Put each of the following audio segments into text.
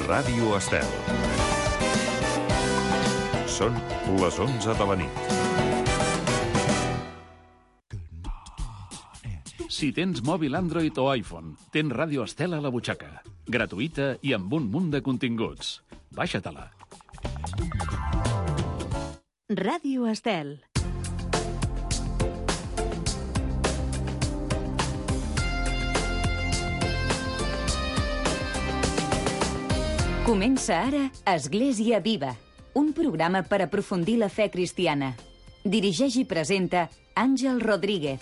Ràdio Estel. Són les 11 de la nit. Si tens mòbil Android o iPhone, tens Ràdio Estel a la butxaca. Gratuïta i amb un munt de continguts. Baixa-te-la. Ràdio Estel. Comença ara Església Viva, un programa per aprofundir la fe cristiana. Dirigeix i presenta Àngel Rodríguez.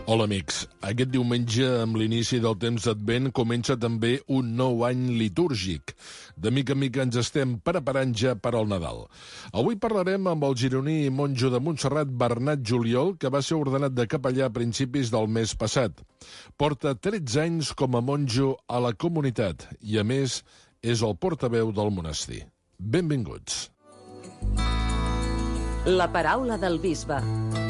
Hola, amics. Aquest diumenge, amb l'inici del temps d'Advent, comença també un nou any litúrgic. De mica en mica ens estem preparant ja per al Nadal. Avui parlarem amb el gironí i monjo de Montserrat, Bernat Juliol, que va ser ordenat de capellà a principis del mes passat. Porta 13 anys com a monjo a la comunitat i, a més, és el portaveu del monestir. Benvinguts. La paraula del bisbe.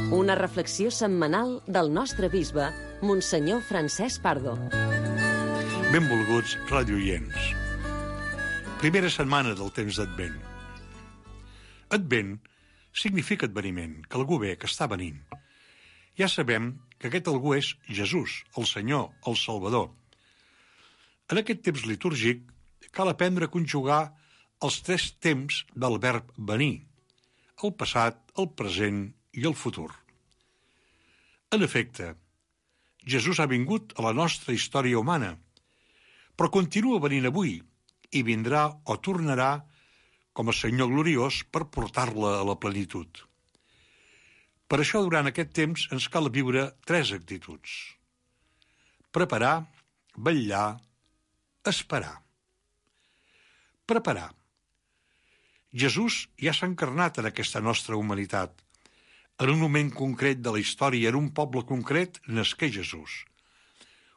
Una reflexió setmanal del nostre bisbe, Monsenyor Francesc Pardo. Benvolguts radioients. Primera setmana del temps d'Advent. Advent significa adveniment, que algú ve, que està venint. Ja sabem que aquest algú és Jesús, el Senyor, el Salvador. En aquest temps litúrgic cal aprendre a conjugar els 3 temps del verb venir: el passat, el present i el futur. En efecte, Jesús ha vingut a la nostra història humana, però continua venint avui i vindrà o tornarà com a Senyor gloriós per portar-la a la plenitud. Per això, durant aquest temps, ens cal viure 3 actituds: preparar, vetllar, esperar. Preparar. Jesús ja s'ha encarnat en aquesta nostra humanitat. En un moment concret de la història, en un poble concret, nasqué Jesús.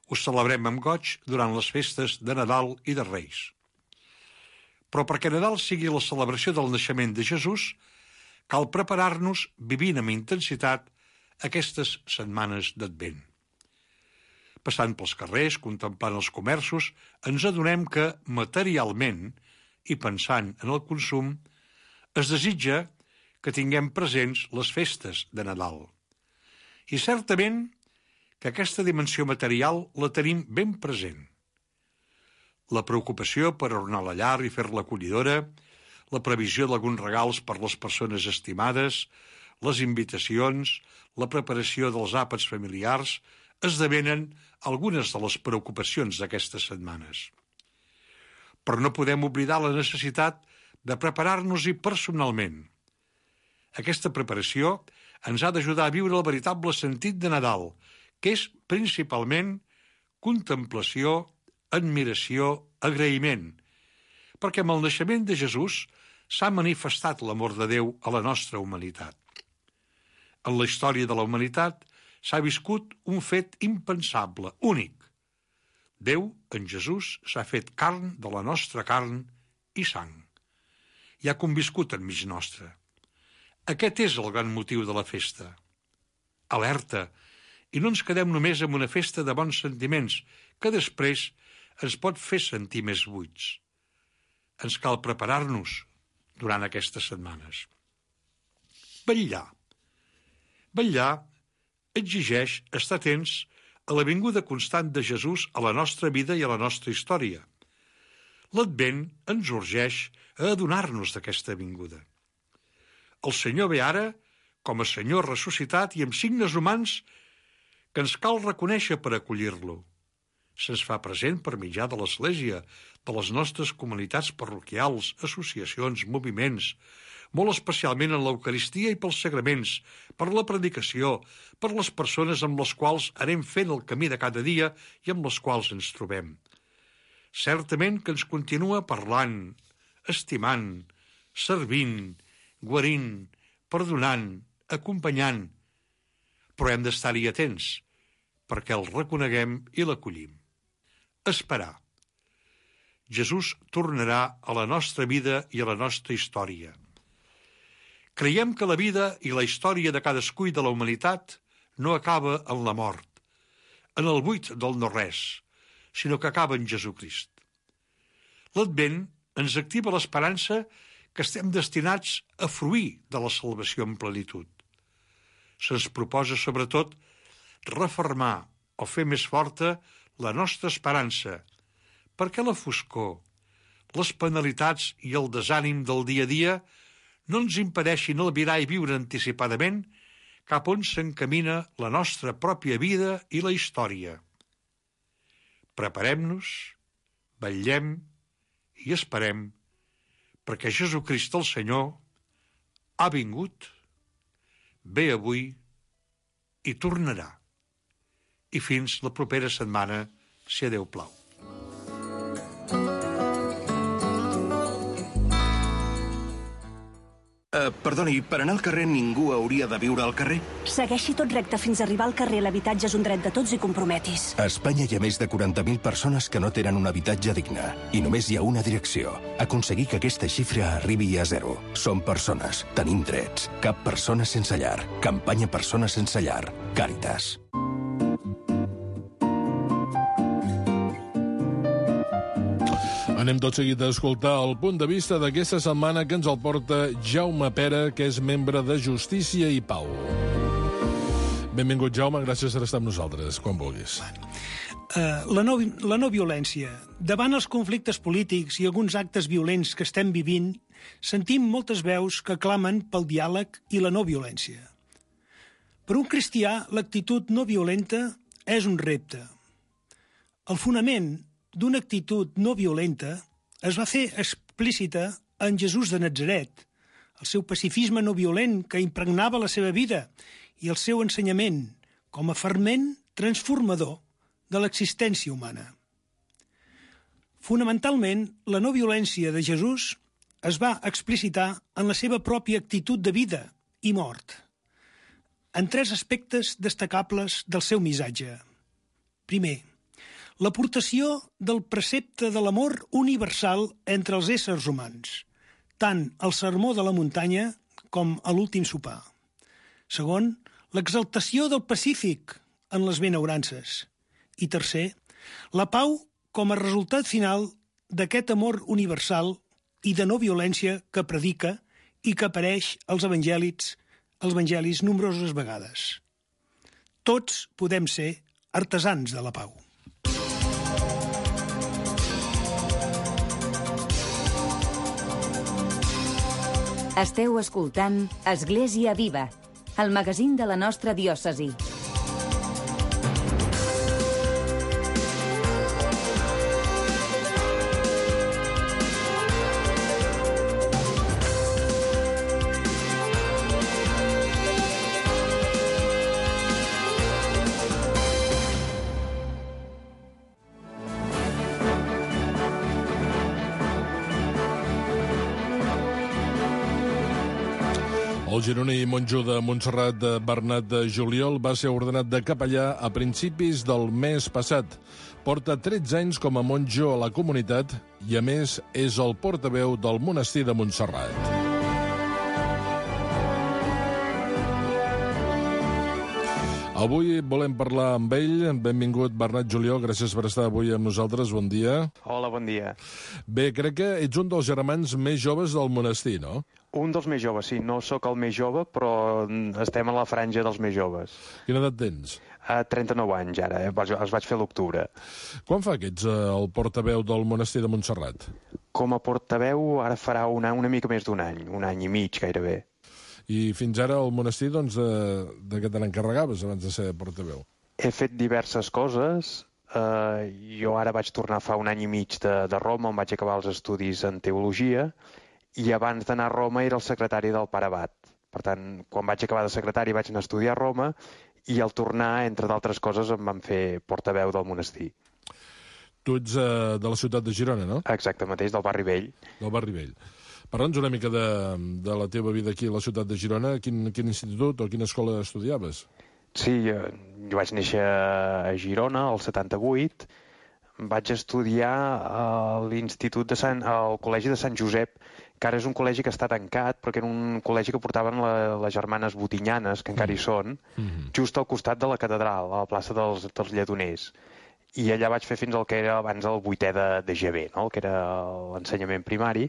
Ho celebrem amb goig durant les festes de Nadal i de Reis. Però perquè Nadal sigui la celebració del naixement de Jesús, cal preparar-nos vivint amb intensitat aquestes setmanes d'Advent. Passant pels carrers, contemplant els comerços, ens adonem que, materialment, i pensant en el consum, es desitja que tinguem presents les festes de Nadal. I certament que aquesta dimensió material la tenim ben present. La preocupació per ornar la llar i fer-la acollidora, la previsió d'alguns regals per les persones estimades, les invitacions, la preparació dels àpats familiars, esdevenen algunes de les preocupacions d'aquestes setmanes. Però no podem oblidar la necessitat de preparar-nos-hi personalment. Aquesta preparació ens ha d'ajudar a viure el veritable sentit de Nadal, que és principalment contemplació, admiració, agraïment, perquè amb el naixement de Jesús s'ha manifestat l'amor de Déu a la nostra humanitat. En la història de la humanitat s'ha viscut un fet impensable, únic. Déu, en Jesús, s'ha fet carn de la nostra carn i sang. I ha conviscut enmig nostre. Aquest és el gran motiu de la festa. Alerta, i no ens quedem només amb una festa de bons sentiments, que després ens pot fer sentir més buits. Ens cal preparar-nos durant aquestes setmanes. Vetllar. Vetllar exigeix estar atents a la vinguda constant de Jesús a la nostra vida i a la nostra història. L'Advent ens urgeix a adonar-nos d'aquesta vinguda. El Senyor ve ara com a Senyor ressuscitat i amb signes humans que ens cal reconèixer per acollir-lo. Se'ns fa present per mitjà de l'Església, de les nostres comunitats parroquials, associacions, moviments, molt especialment en l'Eucaristia i pels sagraments, per la predicació, per les persones amb les quals anem fent el camí de cada dia i amb les quals ens trobem. Certament que ens continua parlant, estimant, servint, guarint, perdonant, acompanyant, però hem d'estar-hi atents perquè el reconeguem i l'acollim. Esperar. Jesús tornarà a la nostra vida i a la nostra història. Creiem que la vida i la història de cadascú i de la humanitat no acaba en la mort, en el buit del no-res, sinó que acaba en Jesucrist. L'Advent ens activa l'esperança que estem destinats a fruir de la salvació en plenitud. Se'ns proposa, sobretot, refermar o fer més forta la nostra esperança, perquè la foscor, les penalitats i el desànim del dia a dia no ens impedeixin albirar i viure anticipadament cap on s'encamina la nostra pròpia vida i la història. Preparem-nos, vetllem i esperem perquè Jesucrist el Senyor ha vingut, ve avui i tornarà. I fins la propera setmana, si a Déu plau. Perdoni, per anar al carrer ningú hauria de viure al carrer? Segueixi tot recte fins a arribar al carrer. L'habitatge és un dret de tots i comprometis. A Espanya hi ha més de 40.000 persones que no tenen un habitatge digne. I només hi ha una direcció. Aconseguir que aquesta xifra arribi a 0. Som persones. Tenim drets. Cap persona sense llar. Campanya Persones sense llar. Càritas. Anem tot seguit a escoltar el punt de vista d'aquesta setmana que ens el porta Jaume Pera, que és membre de Justícia i Pau. Benvingut, Jaume, gràcies per estar amb nosaltres, quan vulguis. La no violència. Davant els conflictes polítics i alguns actes violents que estem vivint, sentim moltes veus que clamen pel diàleg i la no violència. Per un cristià, l'actitud no violenta és un repte. El fonament d'una actitud no violenta es va fer explícita en Jesús de Natzaret, el seu pacifisme no violent que impregnava la seva vida i el seu ensenyament com a ferment transformador de l'existència humana. Fonamentalment, la no violència de Jesús es va explicitar en la seva pròpia actitud de vida i mort, en 3 aspectes destacables del seu missatge. Primer, l'aportació del precepte de l'amor universal entre els éssers humans, tant al sermó de la muntanya com a l'últim sopar. Segon, l'exaltació del pacífic en les benaurances. I tercer, la pau com a resultat final d'aquest amor universal i de no violència que predica i que apareix als evangelis nombroses vegades. Tots podem ser artesans de la pau. Esteu escoltant Església Viva, el magazín de la nostra diòcesi. El gironí monjo de Montserrat, Bernat de Juliol, va ser ordenat de capellà a principis del mes passat. Porta 13 anys com a monjo a la comunitat i, a més, és el portaveu del monestir de Montserrat. Avui volem parlar amb ell. Benvingut, Bernat Juliol. Gràcies per estar avui amb nosaltres. Bon dia. Hola, bon dia. Bé, crec que ets un dels germans més joves del monestir, no? Un dels més joves, sí. No sóc el més jove, però estem a la franja dels més joves. Quina edat tens? 39 anys, ara. Els vaig fer a l'octubre. Quan fa que ets el portaveu del monestir de Montserrat? Com a portaveu ara farà una mica més d'un any i mig, gairebé. I fins ara al monestir, doncs, de què te n'encarregaves abans de ser portaveu? He fet diverses coses. Jo ara vaig tornar fa un any i mig de Roma, on vaig acabar els estudis en teologia, i abans d'anar a Roma era el secretari del pare abat. Per tant, quan vaig acabar de secretari vaig anar a estudiar a Roma, i al tornar, entre d'altres coses, em van fer portaveu del monestir. Tu ets de la ciutat de Girona, no? Exacte, mateix, del barri vell. Del barri vell. Parla'ns una mica de la teva vida aquí a la ciutat de Girona. Quin institut o quina escola estudiaves? Sí, jo vaig néixer a Girona, al 78. Vaig estudiar al Col·legi de Sant Josep, que ara és un col·legi que està tancat, perquè era un col·legi que portaven les germanes Botinyanes, que encara hi són, just al costat de la catedral, a la plaça dels Lledoners. i allà vaig fer fins al que era abans el 8è de GB, no? El que era l'ensenyament primari.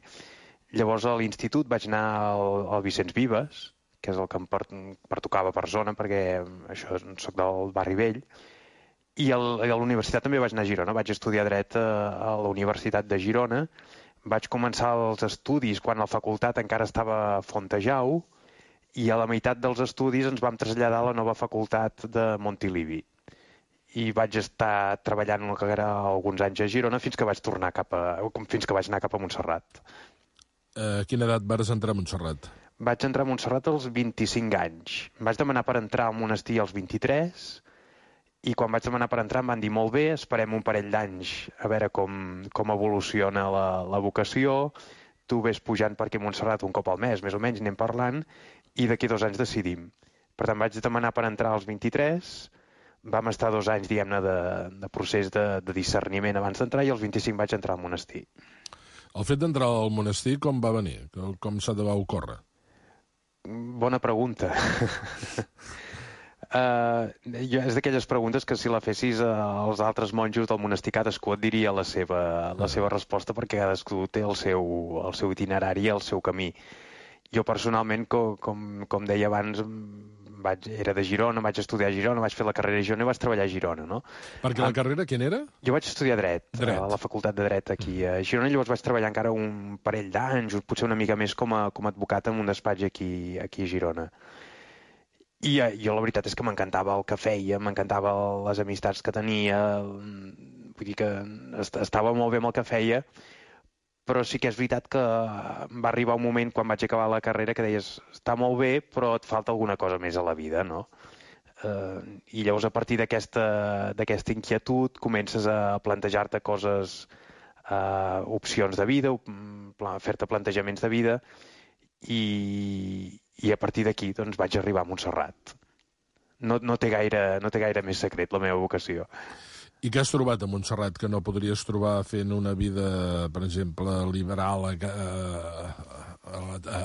Llavors a l'institut vaig anar al Vicenç Vives, que és el que em pertocava per zona, perquè això soc del barri vell, i a la universitat també vaig anar a Girona. Vaig estudiar dret a la Universitat de Girona. Vaig començar els estudis quan la facultat encara estava a Fontejau, i a la meitat dels estudis ens vam traslladar a la nova facultat de Montilivi. I vaig estar treballant una carrera alguns anys a Girona fins que vaig anar cap a Montserrat. A quina edat vas entrar a Montserrat? Vaig entrar a Montserrat als 25 anys. Vaig demanar per entrar al monestir als 23, i quan vaig demanar per entrar em van dir molt bé, esperem un parell d'anys a veure com evoluciona la vocació, tu ves pujant per aquí a Montserrat un cop al mes, més o menys, anem parlant, i d'aquí 2 anys decidim. Per tant, vaig demanar per entrar als 23, vam estar 2 anys, diguem-ne, de procés de discerniment abans d'entrar, i als 25 vaig entrar al monestir. El fet d'entrar al monestir com va venir? Com s'ha de va ocórrer? Bona pregunta. És d'aquelles preguntes que si la fessis als altres monjos del monestir, cadascú et diria la seva resposta, perquè cadascú té el seu itinerari i el seu camí. Jo personalment, com deia abans, era de Girona, vaig estudiar a Girona, vaig fer la carrera a Girona i vaig treballar a Girona, no? Perquè la carrera quina era? Jo vaig estudiar dret a la facultat de dret aquí a Girona, i llavors vaig treballar encara un parell d'anys, potser una mica més com a advocat en un despatx aquí a Girona. I jo la veritat és que m'encantava el que feia, m'encantava les amistats que tenia, vull dir que estava molt bé amb el que feia, però sí que és veritat que va arribar un moment quan vaig acabar la carrera que deies, està molt bé, però et falta alguna cosa més a la vida, no? I llavors a partir d'aquesta inquietud comences a plantejar-te coses, opcions de vida, fer-te plantejaments de vida, i a partir d'aquí doncs, vaig arribar a Montserrat. No té gaire més secret la meva vocació. I què has trobat a Montserrat que no podries trobar fent una vida, per exemple, liberal a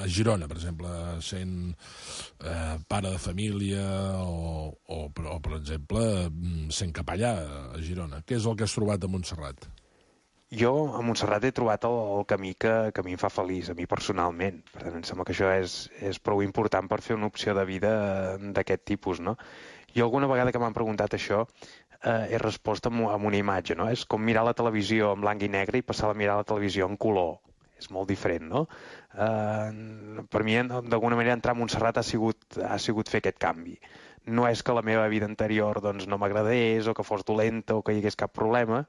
Girona, per exemple, sent pare de família o per exemple, sent capellà a Girona? Què és el que has trobat a Montserrat? Jo a Montserrat he trobat el camí que a mi em fa feliç, a mi personalment. Per tant, em sembla que això és prou important per fer una opció de vida d'aquest tipus, no? Jo alguna vegada que m'han preguntat això he respost amb una imatge, no? És com mirar la televisió en blanc i negre i passar a mirar la televisió en color. És molt diferent, no? Per mi, d'alguna manera, entrar a Montserrat ha sigut fer aquest canvi. No és que la meva vida anterior doncs, no m'agradés o que fos dolenta o que hi hagués cap problema,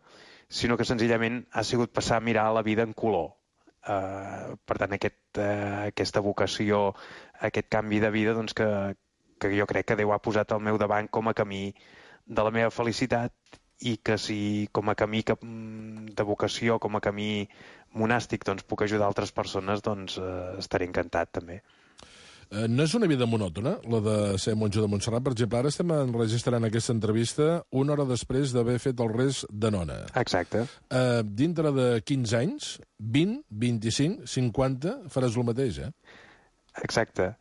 sinó que senzillament ha sigut passar a mirar la vida en color. Per tant, aquesta vocació, aquest canvi de vida doncs, que jo crec que Déu ha posat al meu davant com a camí de la meva felicitat, i que si com a camí de vocació, com a camí monàstic, doncs, puc ajudar altres persones, doncs estaré encantat també. No és una vida monòtona, la de ser monjo de Montserrat. Per exemple, ara estem enregistrant aquesta entrevista una hora després d'haver fet el res de nona. Exacte. Dintre de 15 anys, 20, 25, 50, faràs el mateix, eh? Exacte.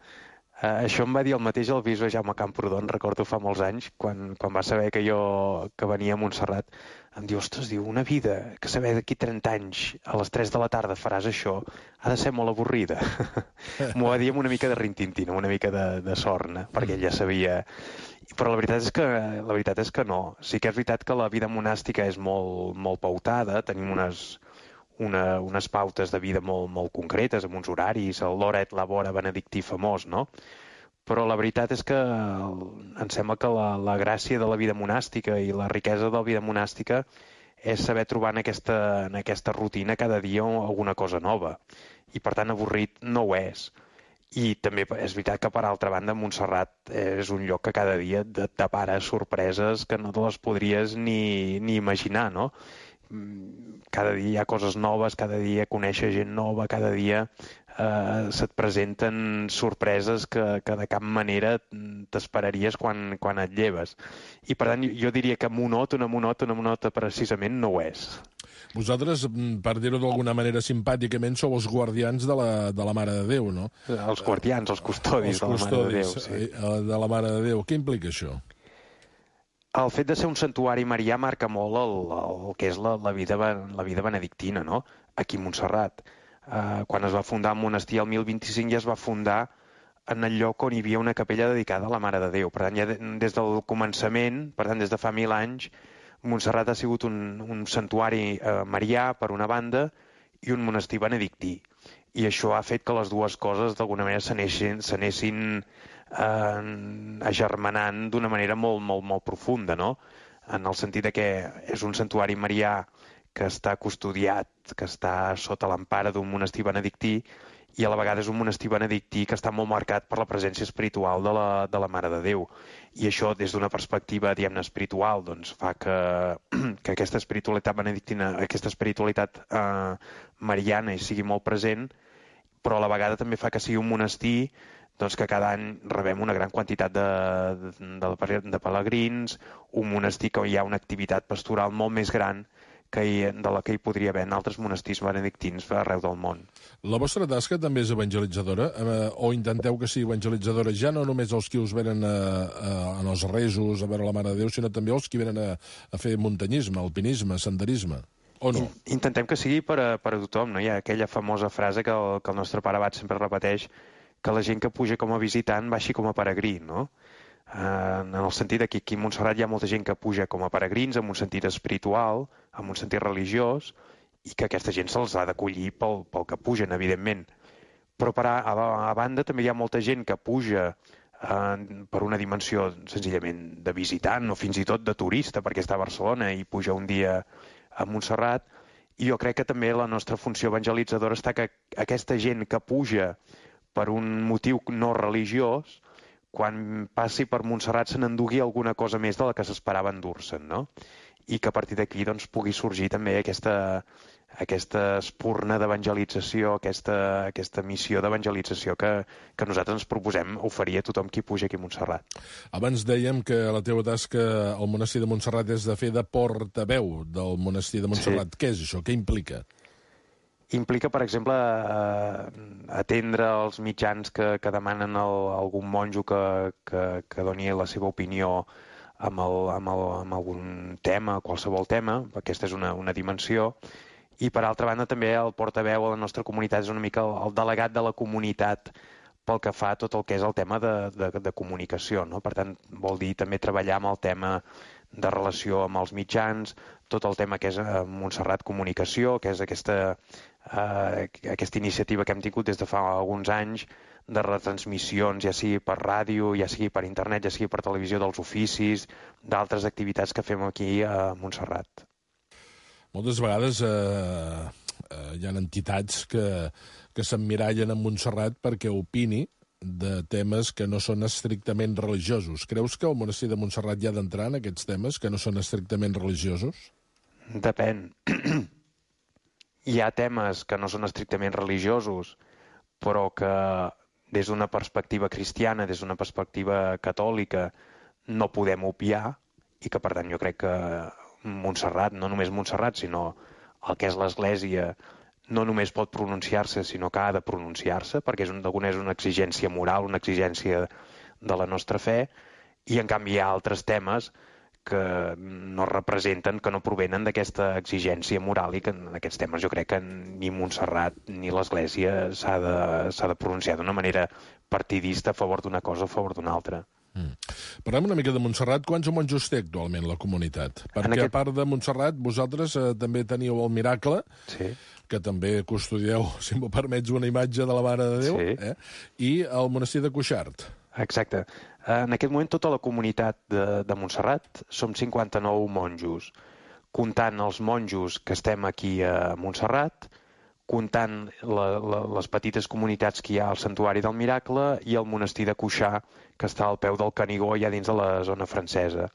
Això em va dir el mateix el bisbe Jaume Camprodon, recordo fa molts anys, quan va saber que venia a Montserrat. Em diu, ostres, una vida que saber d'aquí 30 anys a les 3 de la tarda faràs això, ha de ser molt avorrida. M'ho va dir amb una mica de rintintina, una mica de sorna, perquè ell ja sabia. Però la veritat és que no. Sí que és veritat que la vida monàstica és molt pautada, tenim unes pautes de vida molt concretes, amb uns horaris, l'hora et labora benedictí famós, no? Però la veritat és que em sembla que la gràcia de la vida monàstica i la riquesa de la vida monàstica és saber trobar en aquesta rutina cada dia alguna cosa nova. I per tant avorrit no ho és. I també és veritat que per altra banda Montserrat és un lloc que cada dia et depara sorpreses que no te les podries ni imaginar, no? Cada dia hi ha coses noves, cada dia coneixes gent nova, cada dia se't presenten sorpreses que de cap manera t'esperaries quan et lleves. I per tant jo diria que monòtona precisament no ho és. Vosaltres, per dir-ho d'alguna manera simpàticament, sou els guardians de la Mare de Déu, no? Els guardians, els custodis de la Mare de Déu. Sí. De la Mare de Déu. Què implica això? El fet de ser un santuari marià marca molt el que és la vida benedictina, no? Aquí a Montserrat. Quan es va fundar el monestir el 1025 ja es va fundar en el lloc on hi havia una capella dedicada a la Mare de Déu. Per tant, ja des del començament, per tant, des de fa 1000 anys, Montserrat ha sigut un santuari marià, per una banda, i un monestir benedictí. I això ha fet que les dues coses, d'alguna manera, s'anessin agermanant d'una manera molt, molt, molt profunda, no? En el sentit que és un santuari marià que està custodiat, que està sota l'empara d'un monestir benedictí, i a la vegada és un monestir benedictí que està molt marcat per la presència espiritual de la Mare de Déu. I això, des d'una perspectiva, diguem-ne, espiritual, doncs fa que aquesta espiritualitat benedictina, aquesta espiritualitat mariana hi sigui molt present, però a la vegada també fa que sigui un monestir doncs, que cada any rebem una gran quantitat de pelegrins, un monestir que hi ha una activitat pastoral molt més gran de la que hi podria haver en altres monestirs benedictins arreu del món. La vostra tasca també és evangelitzadora? O intenteu que sigui evangelitzadora ja no només els que us venen en els resos a veure la Mare de Déu, sinó també els que venen a fer muntanyisme, alpinisme, senderisme? O no? Intentem que sigui per a tothom, no? Hi ha aquella famosa frase que el nostre pare abat sempre repeteix, que la gent que puja com a visitant baixi com a peregrí, no? En el sentit que aquí a Montserrat hi ha molta gent que puja com a peregrins, en un sentit espiritual, en un sentit religiós, i que aquesta gent se'ls ha d'acollir pel que pugen, evidentment. Però a banda també hi ha molta gent que puja per una dimensió senzillament de visitant o fins i tot de turista, perquè està a Barcelona i puja un dia a Montserrat, i jo crec que també la nostra funció evangelitzadora està que aquesta gent que puja per un motiu no religiós, quan passi per Montserrat se n'endugui alguna cosa més de la que s'esperava endur-se'n, no? I que a partir d'aquí doncs, pugui sorgir també aquesta espurna d'evangelització, aquesta missió d'evangelització que nosaltres ens proposem oferir a tothom qui puja aquí a Montserrat. Abans dèiem que la teva tasca al monestir de Montserrat és de fer de portaveu del monestir de Montserrat. Sí. Què és això? Què implica? Implica, per exemple, atendre els mitjans que demanen algun monjo que doni la seva opinió amb algun tema, qualsevol tema. Aquesta és una dimensió. I, per altra banda, també el portaveu a la nostra comunitat és una mica el delegat de la comunitat pel que fa a tot el que és el tema de comunicació, no? Per tant, vol dir també treballar amb el tema de relació amb els mitjans, tot el tema que és Montserrat Comunicació, que és aquesta iniciativa que hem tingut des de fa alguns anys de retransmissions, ja sigui per ràdio, ja sigui per internet, ja sigui per televisió dels oficis, d'altres activitats que fem aquí a Montserrat. Moltes vegades hi ha entitats que s'emmirallen en Montserrat perquè opini de temes que no són estrictament religiosos. Creus que el monestir de Montserrat hi ha d'entrar en aquests temes que no són estrictament religiosos? Depèn. Hi ha temes que no són estrictament religiosos, però que des d'una perspectiva cristiana, des d'una perspectiva catòlica, no podem obviar, i que, per tant, jo crec que Montserrat, no només Montserrat, sinó el que és l'Església, no només pot pronunciar-se, sinó que ha de pronunciar-se, perquè és una exigència moral, una exigència de la nostra fe, i en canvi hi ha altres temes que no representen, que no provenen d'aquesta exigència moral, i que en aquests temes jo crec que ni Montserrat ni l'Església s'ha de pronunciar d'una manera partidista a favor d'una cosa o a favor d'una altra. Parlem una mica de Montserrat. Quants monjos té actualment la comunitat? Perquè a part de Montserrat, vosaltres també teniu el Miracle, sí, que també custodieu, si m'ho permets, una imatge de la Mare de Déu, sí, i el monestir de Cuixart. Exacte. En aquest moment tota la comunitat de Montserrat som 59 monjos, comptant els monjos que estem aquí a Montserrat, comptant les petites comunitats que hi ha al Santuari del Miracle i el monestir de Cuixà, que està al peu del Canigó, ja dins de la zona francesa.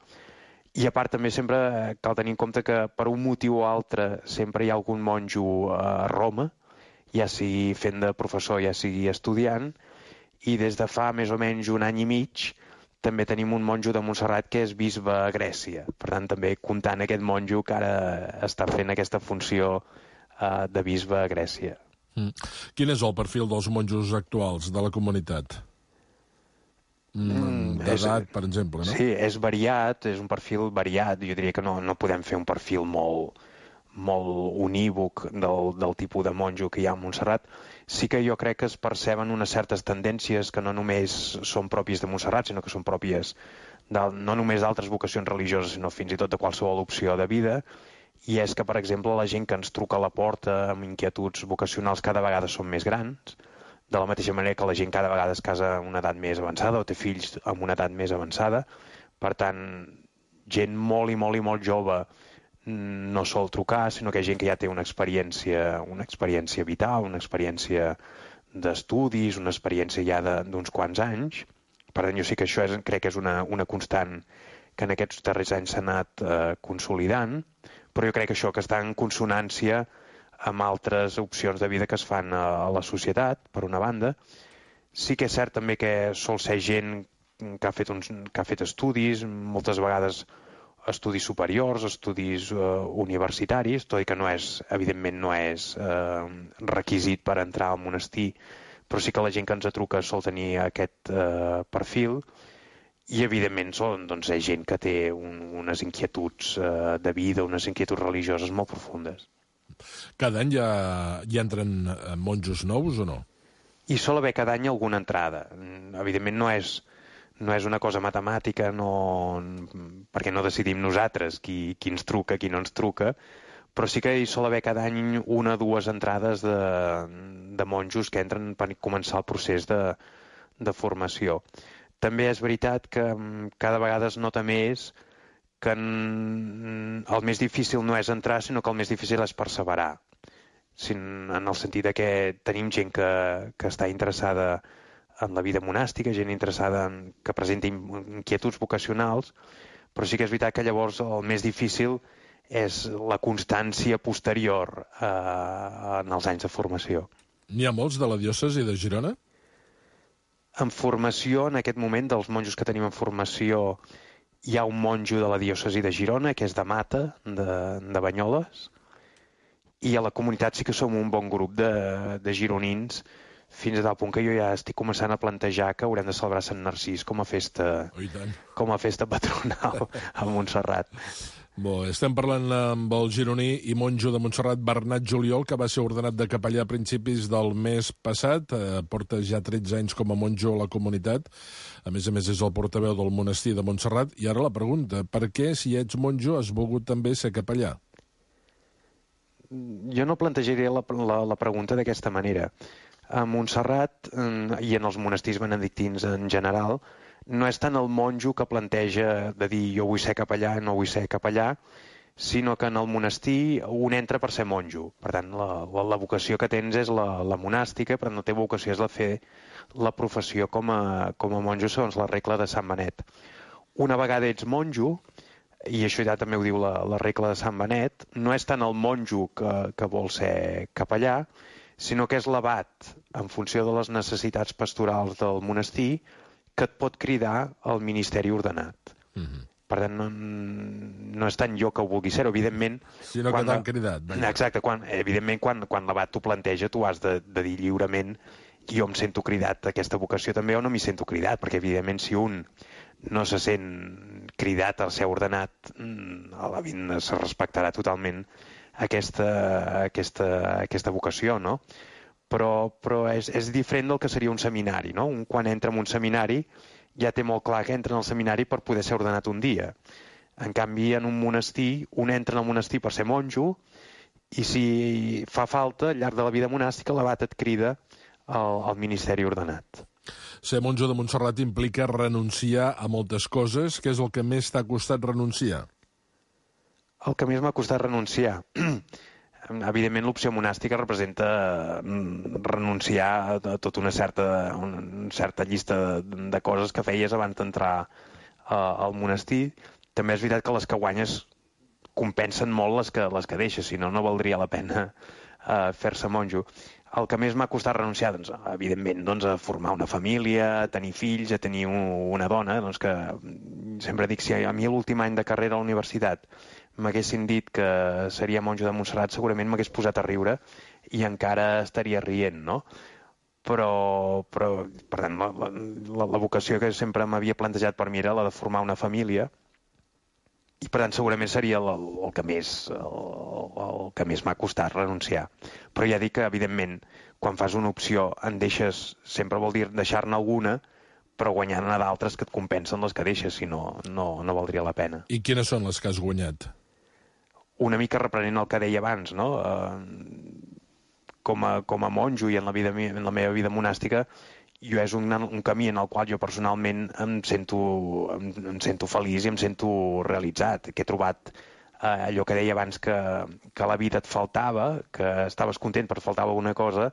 I a part també sempre cal tenir en compte que per un motiu o altre sempre hi ha algun monjo a Roma, ja sigui fent de professor, ja sigui estudiant, i des de fa més o menys un any i mig també tenim un monjo de Montserrat que és bisbe a Grècia. Per tant, també comptant aquest monjo que ara està fent aquesta funció de bisbe a Grècia. Quin és el perfil dels monjos actuals de la comunitat? d'edat, per exemple, no? Sí, és variat, és un perfil variat. Jo diria que no podem fer un perfil molt unívoc del tipus de monjo que hi ha a Montserrat. Sí que jo crec que es perceben unes certes tendències que no només són pròpies de Montserrat, sinó que són pròpies no només d'altres vocacions religioses, sinó fins i tot de qualsevol opció de vida. I és que, per exemple, la gent que ens truca a la porta amb inquietuds vocacionals cada vegada són més grans, de la mateixa manera que la gent cada vegada es casa a una edat més avançada o té fills amb una edat més avançada. Per tant, gent molt i molt jove no sol trucar, sinó que hi ha gent que ja té una experiència vital, una experiència d'estudis, una experiència ja d'uns quants anys. Per tant, jo sí que això crec que és una constant que en aquests darrers anys s'ha anat consolidant, però jo crec que això que està en consonància amb altres opcions de vida que es fan a la societat, per una banda. Sí que és cert també que sol ser gent que ha fet estudis, moltes vegades estudis superiors, estudis universitaris, tot i que evidentment no és requisit per entrar al monestir, però sí que la gent que ens truca sol tenir aquest perfil, i evidentment és gent que té unes inquietuds de vida, unes inquietuds religioses molt profundes. Cada any hi entren monjos nous o no? Hi sol haver cada any alguna entrada. Evidentment no és una cosa matemàtica, perquè no decidim nosaltres qui ens truca, qui no ens truca, però sí que hi sol haver cada any una o dues entrades de monjos que entren per començar el procés de formació. També és veritat que cada vegada es nota més que el més difícil no és entrar, sinó que el més difícil és perseverar. En el sentit que tenim gent que està interessada en la vida monàstica, gent interessada que presenta inquietuds vocacionals, però sí que és veritat que llavors el més difícil és la constància posterior en els anys de formació. N'hi ha molts de la diòcesi de Girona? En formació, en aquest moment, dels monjos que tenim en formació, hi ha un monjo de la diòcesi de Girona, que és de Mata, de Banyoles, i a la comunitat sí que som un bon grup de gironins, fins a tal punt que jo ja estic començant a plantejar que haurem de celebrar Sant Narcís com a festa patronal a Montserrat. Estem parlant amb el gironí i monjo de Montserrat, Bernat Juliol, que va ser ordenat de capellà a principis del mes passat. Porta ja 13 anys com a monjo a la comunitat. A més és el portaveu del monestir de Montserrat. I ara la pregunta, per què, si ets monjo, has volgut també ser capellà? Jo no plantejaria la pregunta d'aquesta manera. A Montserrat i en els monestirs benedictins en general, no és tant el monjo que planteja de dir jo vull ser capellà, no vull ser capellà, sinó que en el monestir un entra per ser monjo. Per tant, la vocació que tens és la monàstica, però no té vocació és la fer la professió com a monjo segons la regla de Sant Benet. Una vegada ets monjo, i això ja també ho diu la regla de Sant Benet, no és tant el monjo que vol ser capellà, sinó que és l'abat, en funció de les necessitats pastorals del monestir, que et pot cridar al ministeri ordenat. Per tant, no és tant jo que ho vulgui ser, evidentment... Sinó que t'han cridat. Exacte, evidentment quan l'abat t'ho planteja, tu has de dir lliurement jo em sento cridat a aquesta vocació també o no m'hi sento cridat, perquè evidentment si un no se sent cridat al ser ordenat, a la vida se respectarà totalment aquesta vocació, no? Però és diferent del que seria un seminari, no? Quan entra en un seminari ja té molt clar que entra en el seminari per poder ser ordenat un dia. En canvi, en un monestir, un entra en el monestir per ser monjo i si fa falta, al llarg de la vida monàstica, l'abat et crida al ministeri ordenat. Ser monjo de Montserrat implica renunciar a moltes coses. Què és el que més t'ha costat renunciar? El que més m'ha costat renunciar... Evidentment, l'opció monàstica representa renunciar a tota una certa llista de coses que feies abans d'entrar al monestir. També és veritat que les que guanyes compensen molt les que deixes, si no valdria la pena fer-se monjo. El que més m'ha costat renunciar, evidentment, a formar una família, a tenir fills, a tenir una dona, que sempre dic, si a mi l'últim any de carrera a la universitat m'haguessin dit que seria monjo de Montserrat, segurament m'hagués posat a riure i encara estaria rient, no? però per tant, la vocació que sempre m'havia plantejat per mi era la de formar una família, i per tant segurament seria el que més m'ha costat renunciar. Però ja dic que, evidentment, quan fas una opció en deixes, sempre vol dir deixar-ne alguna, però guanyant-ne d'altres que et compensen les que deixes, si no, no valdria la pena. I quines són les que has guanyat? Una mica reprenent el que deia abans, no? Com a monjo i en la meva vida monàstica, jo és un camí en el qual jo personalment em sento feliç i em sento realitzat, que he trobat allò que deia abans que la vida et faltava, que estaves content però et faltava alguna cosa,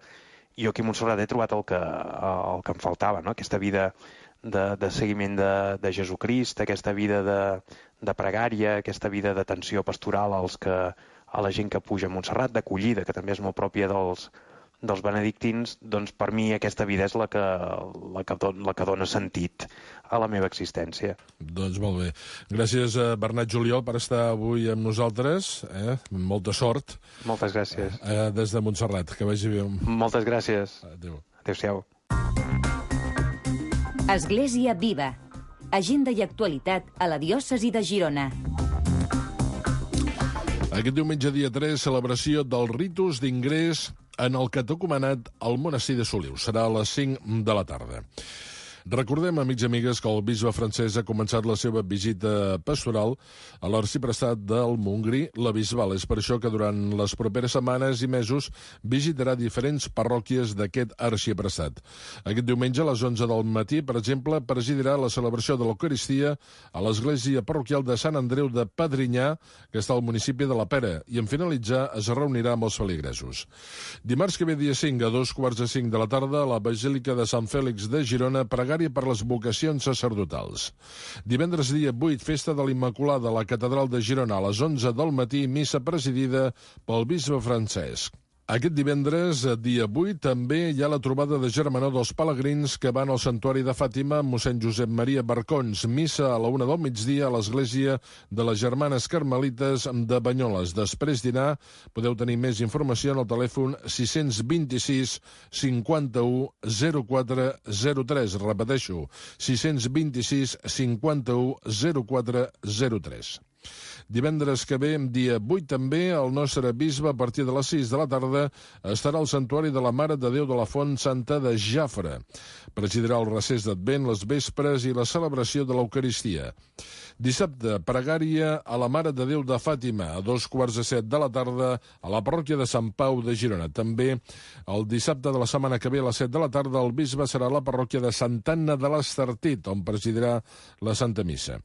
i jo aquí a Montserrat he trobat el que em faltava, no? Aquesta vida de seguiment de Jesucrist, aquesta vida de pregària, aquesta vida d'atenció pastoral a la gent que puja a Montserrat, d'acollida, que també és molt pròpia dels benedictins. Doncs per mi aquesta vida és la que dona sentit a la meva existència. Doncs molt bé. Gràcies a Bernat Juliol per estar avui amb nosaltres. Molta sort. Moltes gràcies. Des de Montserrat. Que vagi bé. Moltes gràcies. Adéu. Adéu-siau. Església Viva. Agenda i actualitat a la diòcesi de Girona. Aquest diumenge, dia 3, celebració del ritus d'ingrés en el catecumenat al monestir de Soliu. Serà a les 5 de la tarda. Recordem, amics i amigues, que el bisbe francès ha començat la seva visita pastoral a l'arxiprestat del Montgrí, la Bisbal. És per això que durant les properes setmanes i mesos visitarà diferents parròquies d'aquest arxiprestat. Aquest diumenge, a les 11 del matí, per exemple, presidirà la celebració de l'Eucaristia a l'església parroquial de Sant Andreu de Padrinyà, que està al municipi de la Pera, i en finalitzar es reunirà amb els feligresos. Dimarts que ve, dia 5, a 2:45 de la tarda, a la Basílica de Sant Fèlix de Girona, pregària per les vocacions sacerdotals. Divendres, dia 8, festa de l'Immaculada a la Catedral de Girona, a les 11 del matí, missa presidida pel bisbe Francesc. Aquest divendres, dia 8, també hi ha la trobada de germanor dels pelegrins que van al santuari de Fàtima amb mossèn Josep Maria Barcons. Missa a la 1 del migdia a l'església de les Germanes Carmelites de Banyoles. Després dinar, podeu tenir més informació en el telèfon 626 51 04 03. Repeteixo, 626 51 04 03. Divendres que ve, dia 8 també, el nostre bisbe, a partir de les 6 de la tarda, estarà al santuari de la Mare de Déu de la Font Santa de Jafre. Presidirà el recés d'Advent, les vespres i la celebració de l'Eucaristia. Dissabte, pregària a la Mare de Déu de Fàtima, a 2:15 de la tarda, a la parròquia de Sant Pau de Girona. També el dissabte de la setmana que ve, a les 7 de la tarda, el bisbe serà a la parròquia de Santa Anna de l'Estartit, on presidirà la Santa Missa.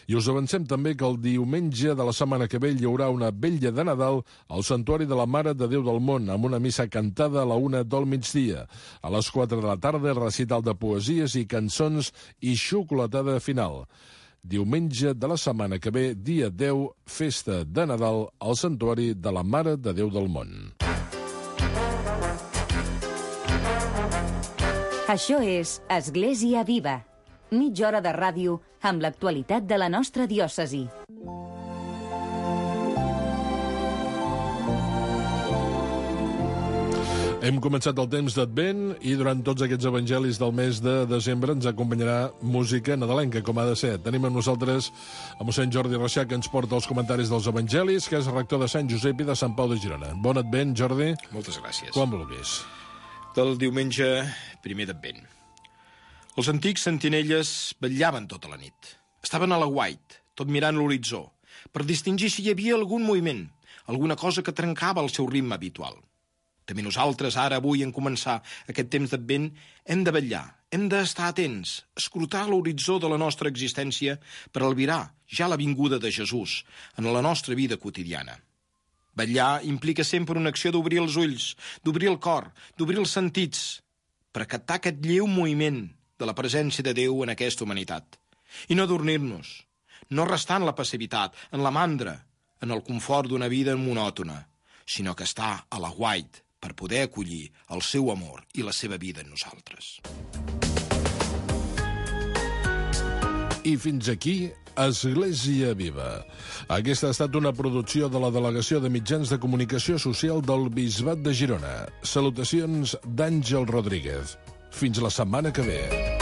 I us avancem també que el diumenge de la setmana que ve hi haurà una vetlla de Nadal al santuari de la Mare de Déu del Món, amb una missa cantada a la 1 del migdia. A les 4 de la tarda, recital de poesies i cançons i xocolatada final. Diumenge de la setmana que ve, dia 10, festa de Nadal al santuari de la Mare de Déu del Món. Això és Església Viva. Mitja hora de ràdio amb l'actualitat de la nostra diòcesi. Hem començat el temps d'Advent i durant tots aquests evangelis del mes de desembre ens acompanyarà música nadalenca, com ha de ser. Tenim amb nosaltres a mossèn Jordi Reixac, que ens porta els comentaris dels evangelis, que és rector de Sant Josep i de Sant Pau de Girona. Bon Advent, Jordi. Moltes gràcies. Quan vulguis. Del diumenge primer d'Advent. Els antics sentinelles vetllaven tota la nit. Estaven a l'aguait, tot mirant l'horitzó, per distingir si hi havia algun moviment, alguna cosa que trencava el seu ritme habitual. També nosaltres, ara, avui, en començar aquest temps d'Advent, hem de vetllar, hem d'estar atents, escrutar l'horitzó de la nostra existència per albirar ja la vinguda de Jesús en la nostra vida quotidiana. Vetllar implica sempre una acció d'obrir els ulls, d'obrir el cor, d'obrir els sentits, per captar aquest lleu moviment de la presència de Déu en aquesta humanitat. I no adormir-nos, no restar en la passivitat, en la mandra, en el confort d'una vida monòtona, sinó que estar a l'aguait per poder acollir el seu amor i la seva vida en nosaltres. I fins aquí Església Viva. Aquesta ha estat una producció de la Delegació de Mitjans de Comunicació Social del Bisbat de Girona. Salutacions d'Àngel Rodríguez. Fins la setmana que ve.